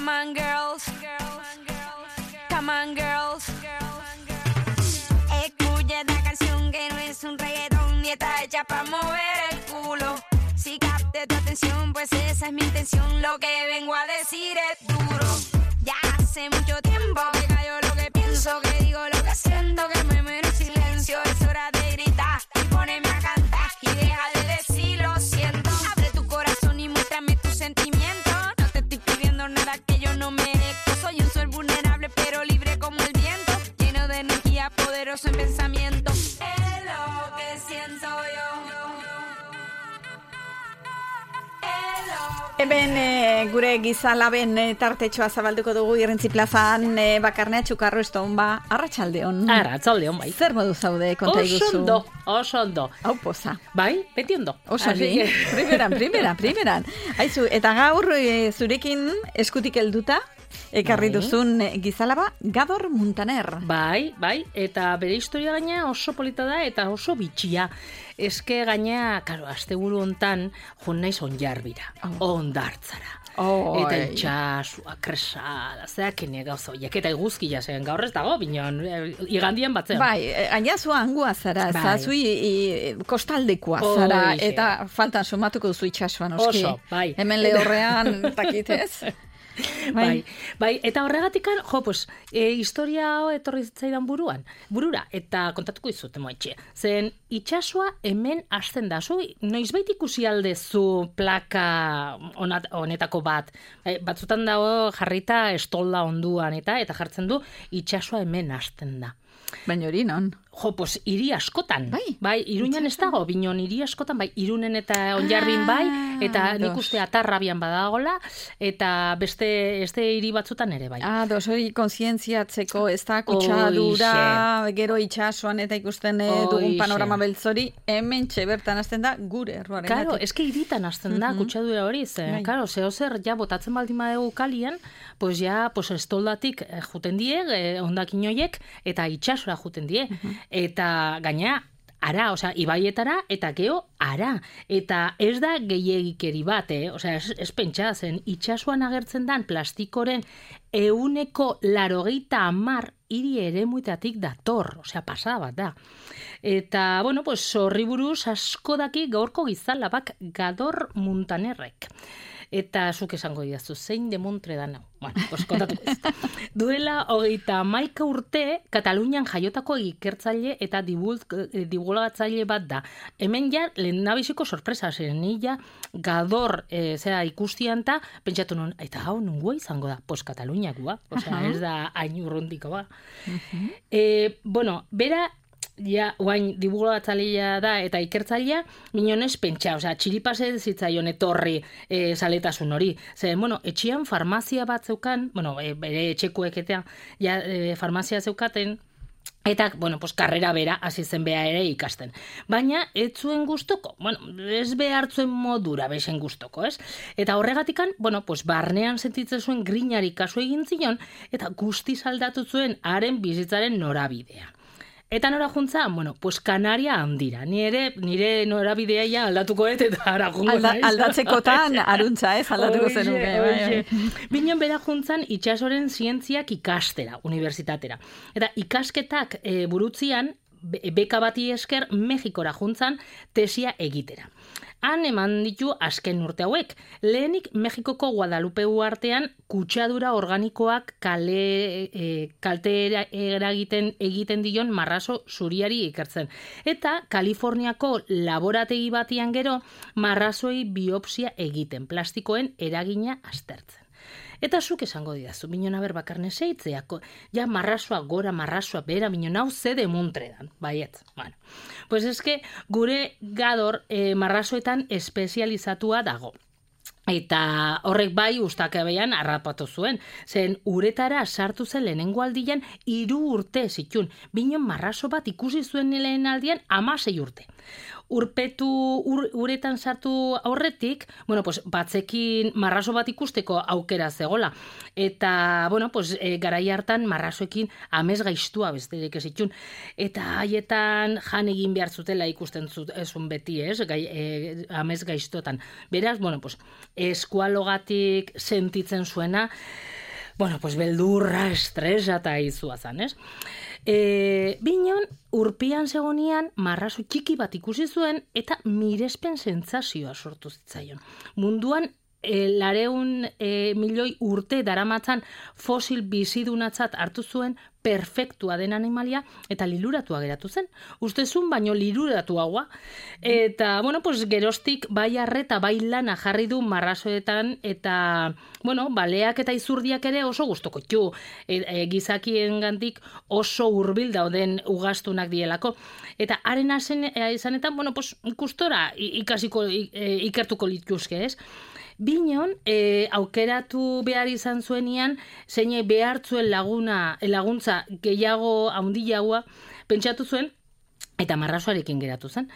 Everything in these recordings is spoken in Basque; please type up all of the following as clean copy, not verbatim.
Come on, girls. Come on, girls. Escucha esta canción que no es un reggaetón y está hecha para mover el culo. Si capte tu atención, pues esa es mi intención. Lo que vengo a decir es duro. Ya hace mucho tiempo que callo lo que pienso, que digo lo que siento, que me muero en silencio. Es hora de gritar y ponerme a cantar y deja de decir lo siento. Abre tu corazón y muéstrame tus sentimientos. No te estoy pidiendo nada que yo no merezco. Soy un ser vulnerable pero libre como el viento, lleno de energía, poderoso en pensamiento. Es lo que siento yo. Hemen gure gizalaben tartetxoa zabalduko dugu Irrintzi plazan Bakarnea Txukarro Estonba. Arratsaldeon. Arratsaldeon, bai. Zer modu zaude, konta iguzu? Oso ondo. Hau poza. Bai, beti ondo. Oso bi, primeran. Aizu, eta gaur zurekin eskutik helduta, ekarri duzun gizalaba Gador Muntaner. Bai, eta bere historia gaina oso polita da eta oso bitxia. Eske gaina, karo, asteburu hontan joan naiz Onjarbira, Hondartzara. Eta itxasua, kresala, zeakene gauza horiek, eta iguzkia zen, gaur ez dago, binon, igandien batzen. Bai, gaina zua angua zara, zazui kostaldekoa zara, eta faltan sumatuko duzu itxasua, noski. Oso, bai. Hemen lehorrean, takitez. Bai, eta horregatikan, historia etorri zitzaidan burura, eta kontatuko izut, emoitxe. Zen, itxasua hemen hasten da, zu noizbait ikusi aldezu plaka honetako bat. Batzutan dago jarrita estolda onduan, eta jartzen du itxasua hemen hasten da. Baina hori non? Hiri askotan. Bai, Iruñan ez dago, binon hiri askotan, bai, Irunen eta Onjarbin bai, eta nik uste Atarrabian badagola, eta beste hiri batzutan ere bai. Hori kontzientziatzeko ez da kutsadura, gero itxasuan eta ikusten dugun panorama beltzori, hemen bertan hasten da gure erruaren. Karo, eske hiritan hasten da kutsadura hori, karo, zehozer ja botatzen baldin badegu kalian, estoldatik juten die, ondakin hoiek, eta itxasura juten die. Eta gaina, ara, ibaietara, eta geho, ara. Eta ez da gehiegikeri bat, ez pentsa, zen itxasuan agertzen dan plastikoren 180 hiri eremuetatik dator, pasada bat da. Eta, horri buruz asko daki gaurko gizalabak Gador Muntanerrek. Eta zuk esango didazu, zein demontre da nau. Kontatuko ez. Duela 31 urte, Katalunian jaiotako ikertzaile eta divulgatzaile bat da. Hemen ja, lehendabiziko sorpresa, zen nila Gador ikustian eta pentsatu nun, eta hau nungoa izango da, Kataluniakoa, ez da hain urrundiko ba. Bera, ja, guain divulgatzailea da eta ikertzailea, minonez pentsa, txiripase zitzaion etorri saletasun hori. Etxean farmazia bat zeukan, bere etxekuek eta farmazia zeukaten, eta, karrera bera hasi zen bea ere ikasten. Baina, ez zuen gustoko, ez behartzuen modura besen gustoko, ez? Eta horregatikan, barnean sentitzen zuen grinari kasu egin zion, eta guztiz aldatu zuen haren bizitzaren norabidea. Eta nora juntza, Kanaria handira. Nire norabidea ja aldatuko eta ara jungo naiz. Aldatzekotan aruntza, aldatuko zenuke. Binon bera juntzan itxasoren zientziak ikastera, unibertsitatera. Eta ikasketak burutzian, beka bati esker, Mexikora juntzan tesia egitera. Han eman ditu azken urte hauek. Lehenik Mexikoko Guadalupe uhartean kutsadura organikoak kalte egiten dion marrazo zuriari ikertzen. Eta Kaliforniako laborategi batian gero marrazoi biopsia egiten, plastikoen eragina aztertzen. Eta zuk esango didazu, binon aber Bakarne zeitzeako, ja marrazoa gora, marrazoa bera, binon hau zede muntredan, baiet. Pues eske gure Gador marrazoetan espezializatua dago. Eta horrek bai ustakabean harrapatu zuen, zen uretara sartu zen lehenengo aldian 3 urte zitun, binon marrazo bat ikusi zuen lehen aldian 16 urte. uretan sartu aurretik, bueno, pues batzekin marraso bat ikusteko aukera zegola. Eta, bueno, pues garai hartan marrasoekin amez gaiztua besterik ez itxun. Eta haietan jan egin behar zutela ikusten zuen beti, ez? Amez gaiztotan. Beraz, bueno, pues eskualogatik sentitzen zuena, bueno, pues beldurra, estresa eta izua zan, ez? Binon, urpian zegonian marrazo txiki bat ikusi zuen eta mirespen sentsazioa sortu zitzaion. Munduan, 200 milioi urte daramatzan fosil bizidunatzat hartu zuen perfektua den animalia eta liluratua geratu zen. Ustezun baino liluratuagoa. Eta, bueno, pues geroztik bai arreta bai lana jarri du marrazoetan eta, bueno, baleak eta izurdiak ere oso gustoko ditu. Gizakiengandik oso hurbil dauden ugaztunak dielako. Eta haren izanetan, bueno, pues ikustora ikertuko lituzke, ez? Binon, aukeratu behar izan zuenian, zeine behartzuen laguntza gehiago handiagoa pentsatu zuen, eta marrazoarekin geratu zen.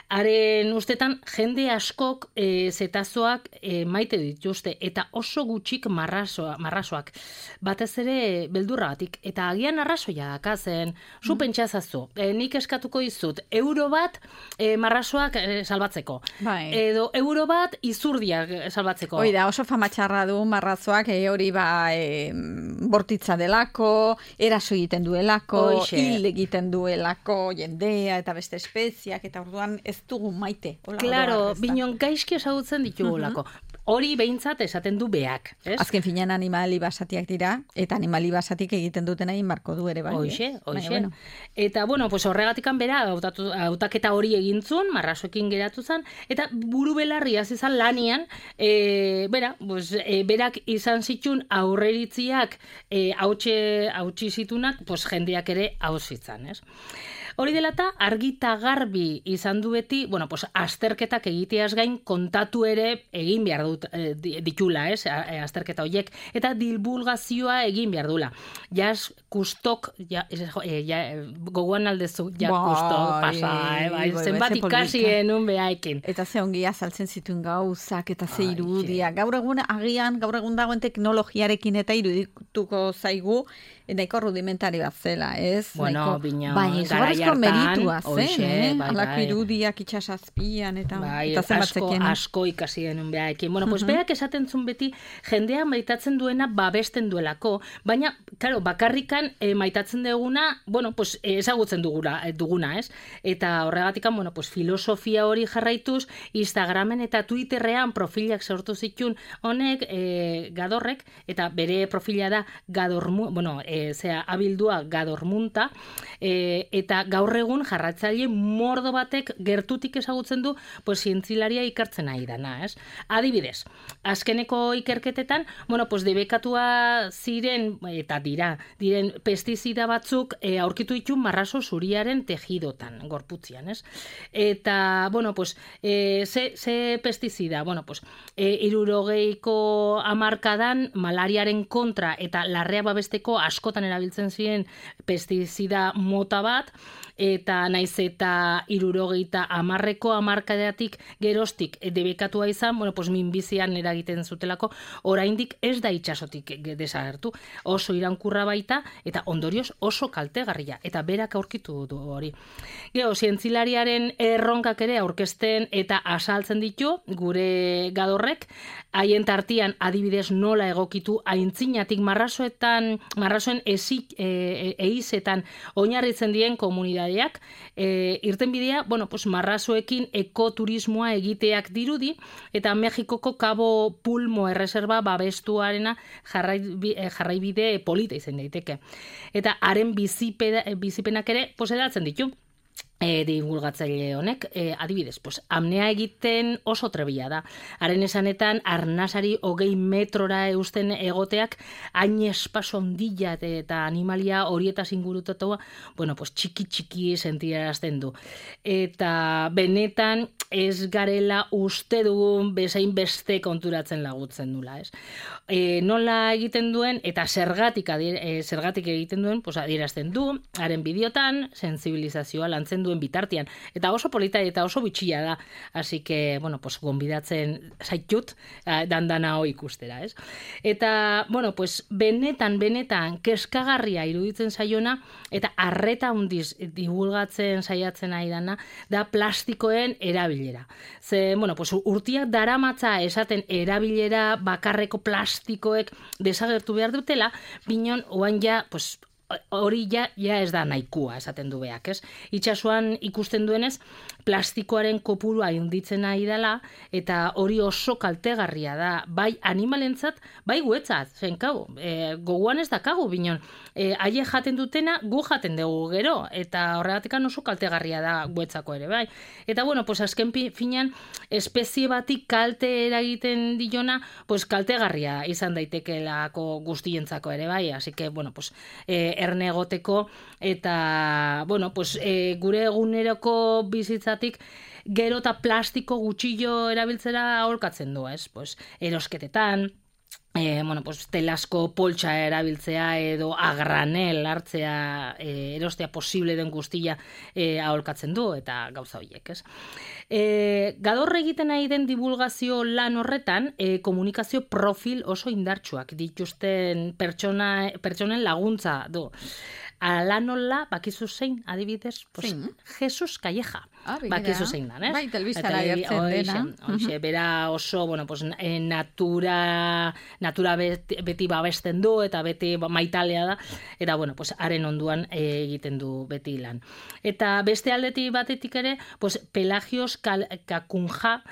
Haren ustetan, jende askok zetazoak maite dituzte, eta oso gutxik marrazoak. Batez ere beldurragatik. Eta agian arrazoia dakazen, zu pentsazazu, nik eskatuko izut, euro bat marrazoak salbatzeko. Bai. Edo euro bat izurdiak salbatzeko. Oida, oso famatxarra du marrazoak, hori bortitza delako, eraso egiten duelako, hil egiten duelako jendea, eta beste espeziak, eta orduan ez dugu maite. Claro, binon gaizki ezagutzen ditugulako. Hori behintzat esaten du beak, ez? Azken finean animali basatiak dira, eta animali basatik egiten dutena inbarko du ere bai. Hoxe. Bueno. Eta, bueno, pues horregatikan bera, hautaketa hori egintzun, marrazoekin geratu zen, eta buru belarri izan lanian, berak izan zitun aurreritziak hautsi zitunak, pues jendeak ere hauzitzan, ez? Hori dela eta argita garbi izan du beti, bueno, pues azterketak egiteaz gain kontatu ere egin behar ditula, ez? Azterketa horiek, eta divulgazioa egin behar dula. Jaz kustok, gogoan aldezu, kustok pasa, zenbat ikasi enun behaikin. Eta ze ongi azaltzen zituen gauzak, eta ze irudia. Gaur egun dagoen teknologiarekin eta irudituko zaigu, nahiko rudimentari bat zela, ez? Bueno, bino, garaiartan, meritua zen, alako irudiak itxasazpian, eta zenbatzekien. Asko ikasi denun behaekin. Bueno, pues berak esaten zuen beti, jendea maitatzen duena babesten duelako, baina, claro, bakarrikan maitatzen duguna, bueno, pues ezagutzen duguna, ez? Eta horregatikan, bueno, pues filosofia hori jarraituz, Instagramen eta Twitterrean profilak sortu zitun honek, Gadorrek, eta bere profila da abildua Gadormunta, eta gaur egun jarratzaile mordo batek gertutik ezagutzen du pues zientzilaria ikertzen ari dana, ez? Adibidez, azkeneko ikerketetan, bueno, pues debekatua ziren eta diren pestizida batzuk aurkitu ditu marrazo zuriaren tejidotan, gorputzian, ez? Eta, bueno, pues ze pestizida, bueno, pues 60ko hamarkadan malariaren kontra eta larrea babesteko askotan erabiltzen ziren pestizida mota bat, eta naiz eta 60ko hamarkadatik geroztik debekatua izan, bueno, pues minbizian eragiten zutelako, oraindik ez da itsasotik desagertu. Oso iraunkurra baita, eta ondorioz oso kaltegarria, eta berak aurkitu du hori. Gero, zientzilariaren erronkak ere aurkezten eta asaltzen ditu, gure Gadorrek, haien tartian adibidez nola egokitu aintzinatik marrazoen eizetan oinarritzen dien komunidadeak, irtenbidea, bueno, pues marrazoekin ekoturismoa egiteak dirudi, eta Mexikoko Cabo Pulmo erreserba babestuarena jarraibide polita izan daiteke. Eta haren bizipenak ere edatzen ditu. Divulgatzaile honek, adibidez, pues, apnea egiten oso trebila da. Haren esanetan, arnasari 20 metrora eusten egoteak, hain espaso ondila eta animalia horietaz ingurutatua, bueno, pues, txiki sentiarazten du. Eta benetan ez garela uste dugun bezain beste konturatzen lagutzen dula, ez? Nola egiten duen, eta zergatik egiten duen, pues, adierazten du, haren bideotan, sensibilizazioa lantzen du duen bitartean. Eta oso polita eta oso bitxia da. Así que, bueno, pues, gonbidatzen zaitut dandana hoi ikustera, ez? Eta, bueno, pues, benetan, keskagarria iruditzen zaiona, eta arreta hundiz divulgatzen saiatzen nahi dana, da plastikoen erabilera. Ze, bueno, pues, urtiak daramatza esaten erabilera bakarreko plastikoek desagertu behar dutela, binon, oan ja, pues, hori ja ez da nahikua esaten du beak, ez? Itxasuan ikusten duenez, plastikoaren kopurua handitzen nahi dela, eta hori oso kaltegarria da, bai animalentzat, bai guetzat, zen kau, goguan ez dakagu, binon, haie jaten dutena, gu jaten dugu gero, eta horregatik oso kaltegarria da guetzako ere, bai. Eta, bueno, pues, azken finean, espezie batik kalte eragiten diona, pues, kaltegarria izan daitekelako guztientzako ere, bai, así que, bueno, pues, erne egoteko, eta, bueno, pues, gure eguneroko bizitzatik gero eta plastiko gutxillo erabiltzera aholkatzen du, ez? Pues, erosketetan, bueno, pues, telasko poltsa erabiltzea edo agranel hartzea erostea posible den guztia aholkatzen du, eta gauza horiek, ez? Gaur egiten nahi den divulgazio lan horretan, komunikazio profil oso indartsuak dituzten pertsonen laguntza du. Alanola, bakizu zein, adibidez, pues, Jesus Calleja. Bakizu zein dan, ez? Bai, telbiztara gertzen dena. Oixe, bera oso, bueno, pues, natura beti babesten du, eta beti maitalea da, eta, bueno, pues, haren onduan egiten du beti lan. Eta beste aldetik batetik ere, pues, Pelagios Kakunja,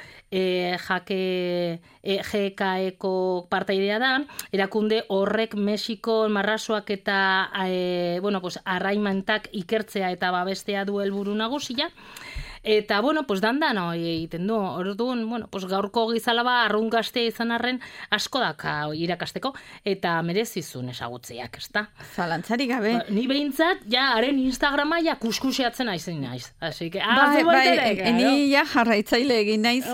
GKeko partaidea da, erakunde horrek Mexiko marrasoak eta, bueno, pues, arraimantak ikertzea eta babestea du helburu nagusia. Eta, bueno, pues, dandan egiten du. Orduan, bueno, pues, gaurko gizalaba arrun gaztea izan arren asko daka irakasteko, eta merezizun esagutzeak, ezta? Zalantzarik gabe. Ni behintzat, ja, haren Instagrama ja kuskuseatzen naiz. Así que, ni ja jarraitzaile egin naiz,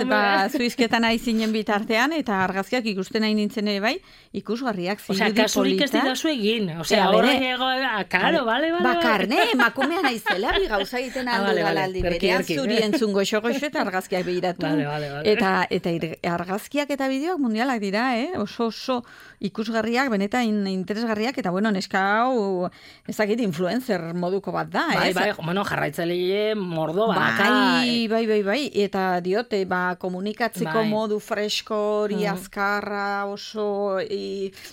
zuizketan aizinen bitartean, eta argazkiak ikusten nahi nintzen ere bai, ikusgarriak zirudi polita. Kasurik ez didazu egin. Horrek karo, bale. Bakarne, emakumea naizela, bi gauza egiten aldu galaldi berean, zuri entzun goxo-goxo eta argazkiak behiratu. Vale. Eta argazkiak eta bideoak mundialak dira, oso ikusgarriak, benetan interesgarriak, eta bueno, neska hau, ezakit, influencer moduko bat da. Bai, bueno, jarraitzaile mordo baka. Bai, eta diote, komunikatzeko modu fresko, hori azkarra, oso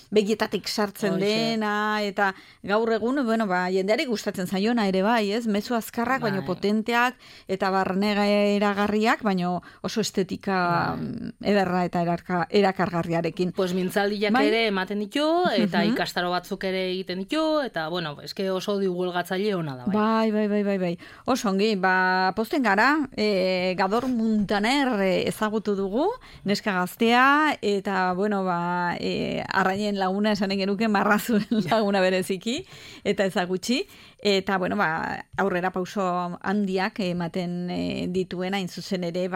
begietatik sartzen dena, eta gaur egun, bueno, jendeari gustatzen zaiona ere bai, ez? Mezu azkarrak, baino potenteak, eta barne eragarriak, baino oso estetika ederra eta erakargarriarekin. Pues mintzaldiak ere ematen ditu, eta ikastaro batzuk ere egiten ditu, eta, bueno, eske oso divulgatzaile ona da, bai. Bai. Oso ongi, posten gara, Gador Muntaner ezagutu dugu, neska gaztea, eta, bueno, arraien laguna esanen genuke, marrazuen laguna bereziki, eta ezagutxi, eta, bueno, aurrera pauso handiak ematen dituena, zuzen ere,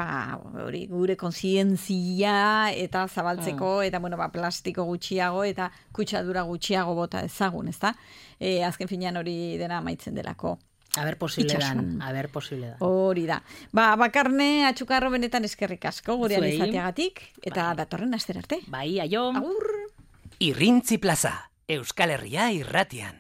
hori, gure kontzientzia eta zabaltzeko, eta, bueno, plastiko gutxiago, eta kutsadura gutxiago bota ezagun, ezta? Azken finean hori dena amaitzen delako. Aber posible dan. Hori da. Bakarne atxukarro benetan eskerrik asko, gure alizateagatik, eta datorren astera arte. Bai, aio. Agur. Irrintzi Plaza, Euskal Herria irratian.